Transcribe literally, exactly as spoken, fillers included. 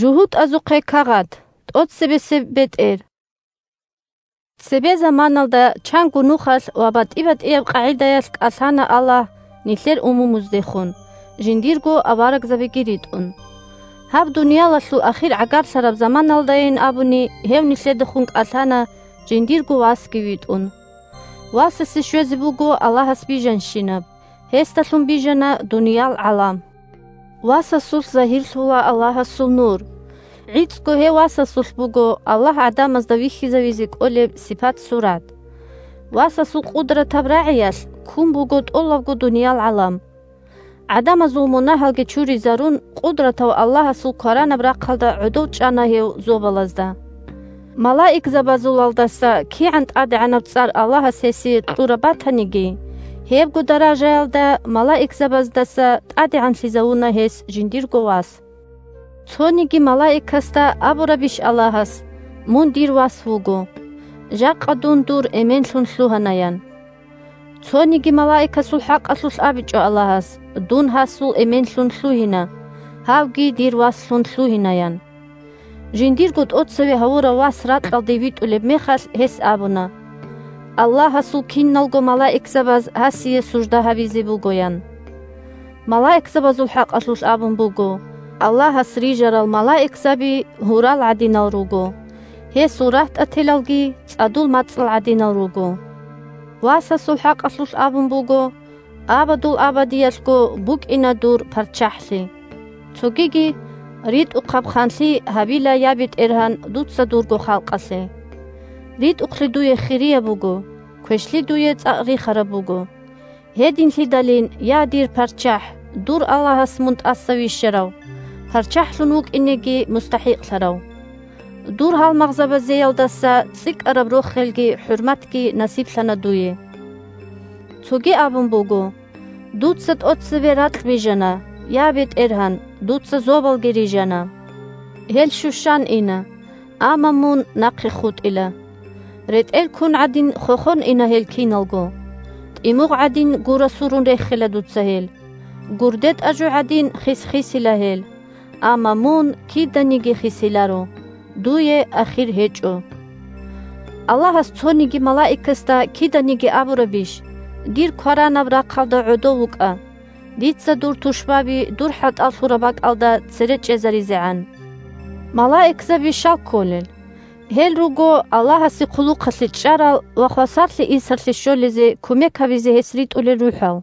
ЖугьутӀазухъе кагъат. ТӀоцебесеб бетӀер. Цебе заманалда чанго нухалъ ва батӀи-батӀияб къагӀидаялъ кӀалъана Аллагь нилъер умумуздехун, жиндирго аварагзабиги ритӀун. Гьаб дуниялалъул ахир гӀагарлъараб заманалдайин абуни, гьев нилъедехун кӀалъана жиндирго васги витӀун. Васасе щвезе буго Аллагьас бижанщинаб, гьесдалъун бижана дуниял гӀалам. Васасулъ загьирлъула Аллагьасул нур. ГӀицӀго гьев васасулъ буго Аллагь гӀадамазда вихьизавизе кӀолеб сипат-сурат. Васасул къудратаб рагӀиялъ ккун буго тӀолабго дуниял гӀалам. ГӀадамазул мунагьалги чуризарун, къудратав Аллагьасул кваранаб рахъалда гӀодов чӀана гьев зобалазда. Малаикзабазулалдаса кигӀан тӀадегӀанаб цӀар Аллагьас гьесие кьураб батаниги, гьебго даражаялда малаикзабаздаса тӀадегӀанлъизавуна гьес жиндирго вас. Цониги малаикасда абурабищ Аллагьас: «Мун дир вас вуго. Жакъа дун дур эменлъун лъугьана», – ян. Цониги малаикасул хӀакъалъулъ абичӀо Аллагьас: «Дун гьасул эменлъун лъугьина, гьавги дир васлъун лъугьина», – ян. Жиндирго тӀоцеве гьавурав вас ракьалде витӀулеб мехалъ, гьес абуна: «Аллагьасул киналго малаикзабаз гьасие сужда гьабизе буго», – ян. Малаикзабазул хӀакъалъулъ абун буго: «Аллагьас рижарал малаикзаби гьурал гӀадинал руго, гьесул рагьтӀателалги цӀадул мацӀал гӀадинал руго». Васасул хӀакъалъулъ абун буго: «Абадул абадиялъго букӀина дур парччахӀлъи». Цогиги: «РитӀухъаб ханлъи гьабила, я БетӀергьан, дуца дурго халкъалъе. РитӀухълъи дуе хирияб буго, квешлъи дуе цӀакъ рихараб буго. Гьединлъидалин, я дир парччахӀ, дур Аллагьас мун тӀаса вищарав, парччахӀлъун вукӀинеги мустахӀикълъарав. Дур гьалмагъзабазеялдаса цӀикӀкӀараб рохелги хӀурматги насиблъана дуе». Цоги абун буго: «Дуца тӀоцебе ракь бижана, я БетӀергьан, дуца зобалги рижана. Гьел щущан ина, амма мун нахъе хутӀила. РетӀел ккун гӀадин хохон ина гьел киналго. ТӀимугъ гӀадин гура сурун рехила дуца гьел. Гурде тӀажу гӀадин хис-хисила гьел. Амма мун киданиги хисиларо, дуе ахир гьечӀо». Аллагьас цониги малаикасда киданиги абурабищ: «Дир кваранаб рахъалда гӀодов вукӀа, дица дур тушбаби дур хӀатӀал лъураб бакӀалда цере чӀезаризегӀан». Малаикзаби щал кколел? Гьел руго Аллагьасе хъулухъалъе чӀарал ва хвасарлъи-инсарлъи щолезе кумек гьабизе гьес ритӀулел рухӀал.